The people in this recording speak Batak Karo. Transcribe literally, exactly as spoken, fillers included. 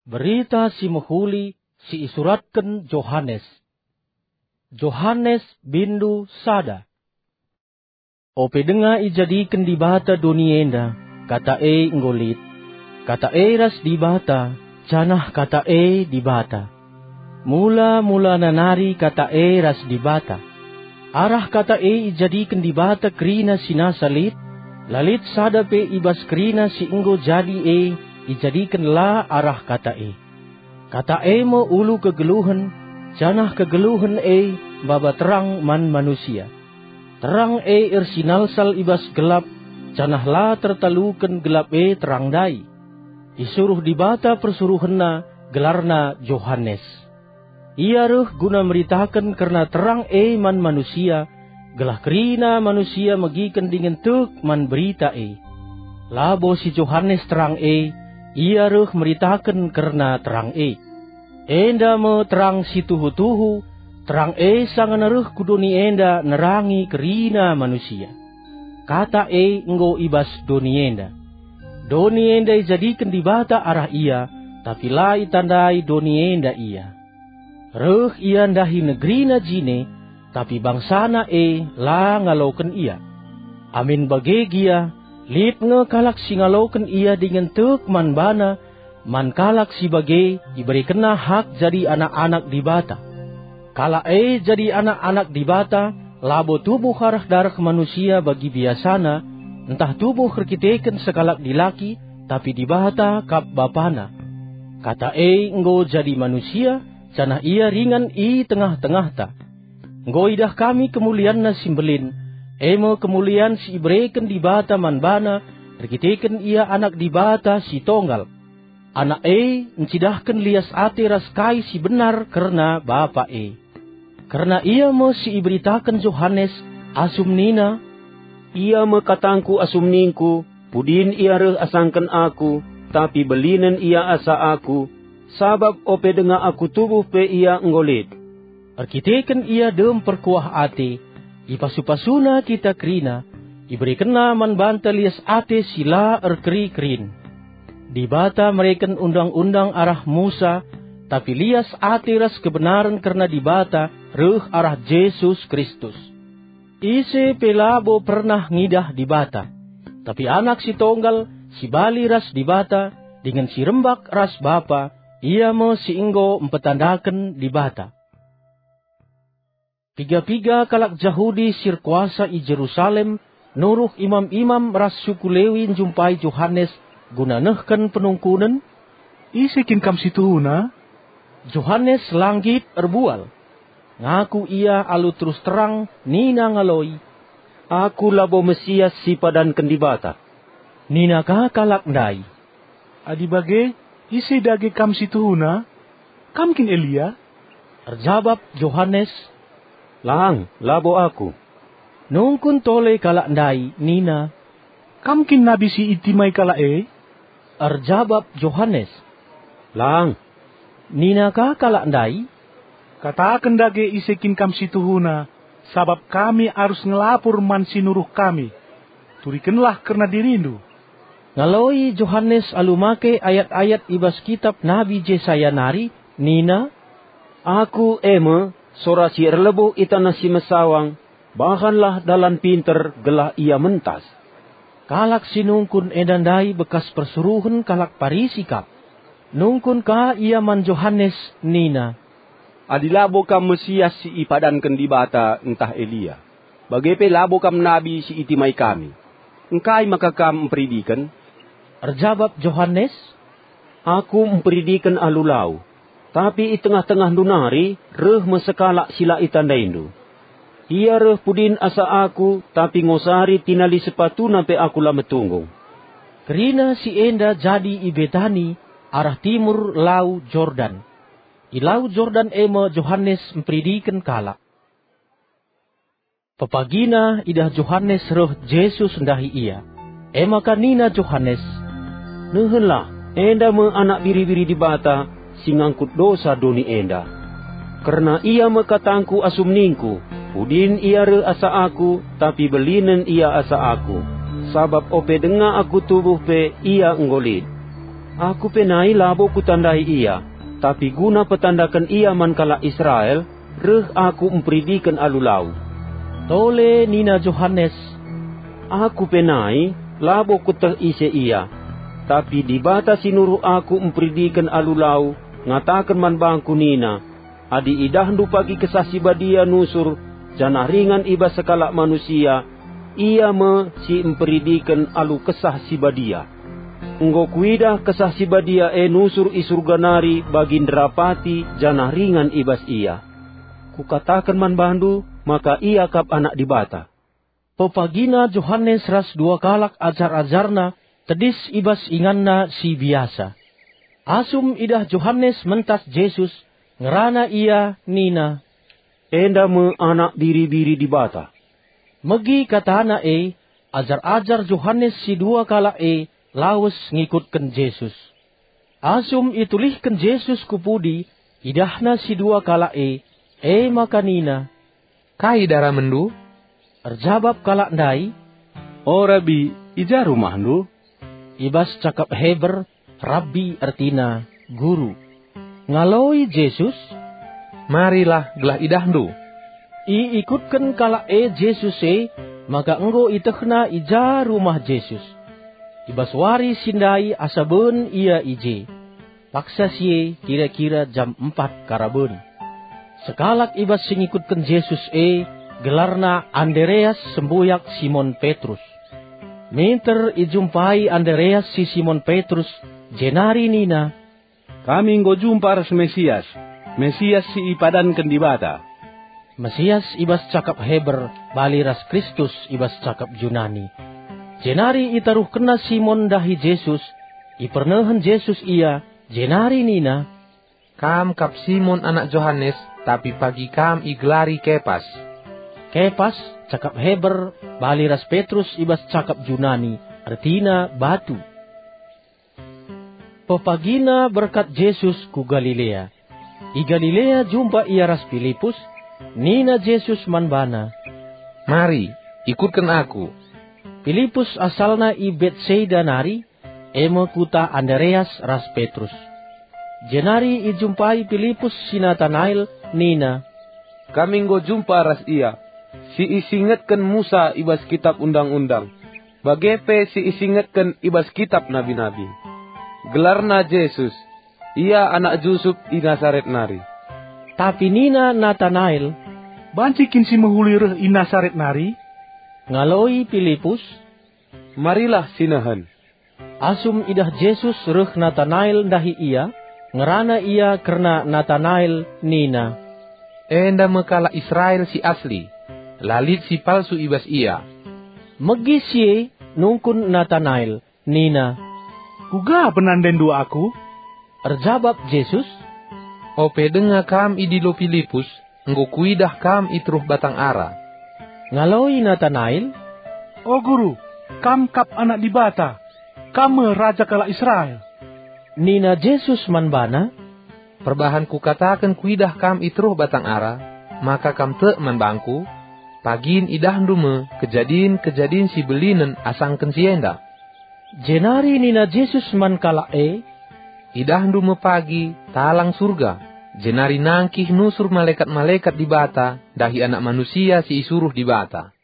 Berita Si Mehuli si isuratken Johanes. Johanes, bindu sada. Ope denga ijadiken Dibata doni enda, Kata e enggo lit. Kata e ras Dibata, janah Kata e Dibata. Mula-mulana nari Kata e ras Dibata. Arah Kata e ijadiken Dibata kerina si nasa lit, la lit sada pe i bas kerina si enggo jadi e ijadiken la arah Kata e. Kata e me ulu kegeluhen, janah kegeluhen e maba terang man manusia. Terang e ersinalsal i bas gelap, janah la tertaluken gelap e terang ndai. Isuruh Dibata persuruhenNa, gelarna Johanes. Ia reh guna meritaken kerna terang e man manusia, gelah kerina manusia megiken dingen tek man berita e. Labo si Johanes terang e, ia reh meritaken kerna terang e. Enda me terang si tuhu-tuhu, terang e sanga reh ku doni enda nerangi kerina manusia. Kata e enggo i bas doni enda. Doni enda ijadiken Dibata arah ia, tapi la itandai doni enda ia. Reh ia ndahi negerina jine, tapi bangsana e la ngaloken ia. Amin bage gia, lit nge kalak si ngaloken ia dingen tek man bana, man kalak si bage iberekenna hak jadi anak-anak Dibata. Kalak e jadi anak-anak Dibata labo tubuh arah dareh manusia bagi biasana, ntah tubuh erkiteken sekalak dilaki, tapi Dibata kap Bapana. Kata e enggo jadi manusia, janah ia ringan i tengah-tengahta. Enggo idah kami kemulianNa si mbelin, e me kemulian si ibereken Dibata man baNa erkiteken Ia Anak Dibata si Tonggal. Anak e ncidahken lias ate ras kai si benar kerna Bapa e. Kerna ia me si iberitaken Johanes asum nina, "Ia me katangku asum ningku, pudin ia reh asangken aku, tapi belinen ia asa aku, sabap ope denga aku tubuh pe ia enggo lit." Erkiteken ia dem perkuah ate, ipasu-pasuna kita kerina, iberekenna man banta lias ate si la erkeri-kerin. Dibata mereken undang-undang arah Musa, tapi lias ate ras kebenaren kerna Dibata reh arah Jesus Kristus. Ise pe labo pernah ngidah Dibata, tapi Anak si Tonggal, si bali ras Dibata, dingen si rembak ras Bapa, ia me si enggo mpetandaken Dibata. Piga-piga kalak Jahudi si erkuasa i Jerusalem nuruh imam-imam ras suku Lewi njumpai Johanes guna nehken penungkunen, "Ise kin Kam si tuhuna?" Johanes la nggit erbual. Ngaku ia alu terus terang nina ngaloi, "Aku labo Mesias si ipadanken Dibata." Nina ka kalak ndai, "Adi bage, ise dage Kam si tuhuna? Kam kin Elia?" Erjabap Johanes, "Lang, labo aku." Nungkun tole kalak ndai nina, "Kam kin nabi si itimai kalak e?" Erjabap Johanes, "Lang." Nina ka kalak ndai, "Kataken dage ise kin Kam si tuhuna, sabap kami arus ngelapur man si nuruh kami. Turikenlah kerna dirindu." Ngaloi Johanes alu make ayat-ayat i bas kitap Nabi Jesaya nari, nina, "Aku e me, sora si erlebuh i taneh si mesawang, bahanlah dalan pinter gelah ia mentas." Kalak si nungkun enda ndai bekas persuruhen kalak Parisi kap. Nungkun ka ia man Johanes nina, "Adi labo Kam Mesias si ipadanken Dibata ntah Elia, bage pe labo Kam nabi si itimai kami. Engkai maka Kam mperidiken?" Erjabap Johanes, "Aku mperidiken alu lau, tapi i tengah-tengahndu nari reh me sekalak si la itandaindu. Ia reh pudin asa aku, tapi ngosari tinali sepatuna pe aku la metunggung." Kerina si enda jadi i Betani, arah timur Lau Jordan. I Lau Jordan e me Johanes mperidiken kalak. Pepagina idah Johanes reh Jesus ndahi ia. E maka nina Johanes, "Nehenlah, enda me Anak Biri-biri Dibata si ngangkut dosa doni enda. Kerna ia me katangku asum ningku, 'Pudin ia reh asa aku, tapi belinen ia asa aku, sabap ope denga aku tubuh pe ia enggo lit.'" Aku pe nai labo kutandai ia, tapi guna petandaken ia man kalak Israel, reh aku mperidiken alu lau. Tole nina Johanes, "Aku pe nai labo kueteh ise ia, tapi Dibata si nuruh aku mperidiken alu lau ngataken man bangku nina, 'Adi idahndu pagi Kesah Si Badia nusur janah ringan i bas sekalak manusia, ia me si mperidiken alu Kesah Si Badia.' Enggo kuidah Kesah Si Badia e nusur i Surga nari bagi nderapati janah ringan i bas ia. Kukataken man bandu maka ia kap Anak Dibata." Pepagina Johanes ras dua kalak ajar-ajarna tedis i bas inganna si biasa. Asum idah Johanes mentas Jesus, ngerana ia nina, "Enda me Anak Biri-biri Dibata." Megi katana e, ajar-ajar Johanes si dua kalak e lawes ngikutken Jesus. Asum itulihken Jesus ku pudi, idahna si dua kalak e, e maka nina, "Kai daramenndu?" Erjabap kalak ndai, "O Rabi, i ja rumahndu?" I bas cakap Heber, Rabbi ertina Guru. Ngaloi Jesus, "Marilah gelah idahndu." Iikutken kalak e Jesus e, maka enggo itehna i ja rumah Jesus. I bas wari si ndai asa ben ia i je. Paksa si e kira-kira jam empat karaben. Sekalak i bas si ngikutken Jesus e, gelarna Andereas sembuyak Simon Petrus. Minter ijumpai Andereas si Simon Petrus, jenari nina, "Kami enggo jumpa ras Mesias, Mesias si ipadanken Dibata." Mesias i bas cakap Heber bali ras Kristus i bas cakap Junani. Jenari itaruhkenna Simon ndahi Jesus, ipernehen Jesus ia, jenari nina, "Kam kap Simon anak Johanes, tapi pagi kam igelari Kepas." Kepas, cakap Heber bali ras Petrus i bas cakap Junani, ertina batu. Pepagina berkat Jesus ku Galilea. I Galilea jumpa ia ras Pilipus, nina Jesus man bana, "Mari, ikutken Aku." Pilipus asalna i Betsaida nari, e me kuta Andereas ras Petrus. Jenari ijumpai Pilipus si Natanael nina, "Kami enggo jumpa ras IA, si isingetken Musa i bas Kitap Undang-undang, bage pe si isingetken i bas Kitap Nabi-nabi. Gelarna Jesus, ia anak Jusup i Nasaret nari." Tapi nina Natanael, "Banci kin si mehuli reh i Nasaret nari?" Ngaloi Pilipus, "Marilah sinehen." Asum idah Jesus reh Natanael ndahi ia, ngerana ia kerna Natanael nina, "Enda me kalak Israel si asli, la lit si palsu i bas ia." Megi si e nungkun Natanael nina, "Kuga penandainndu aku?" Erjabap Jesus, "Ope denga kam idilo Pilipus, enggo kuidah kam i teruh batang ara." Ngaloi Natanael, "O Guru, Kam kap Anak Dibata, Kam me Raja kalak Israel." Nina Jesus man bana, "Perbahan Kukataken kuidah kam i teruh batang ara, maka kam tek man bangKu? Pagin idahndu me kejadin-kejadin si belinen asangken si enda." Jenari nina Jesus man kalak e, "Idahndu me pagi talang Surga, jenari nangkih nusur malekat-malekat Dibata ndahi Anak Manusia si isuruh Dibata."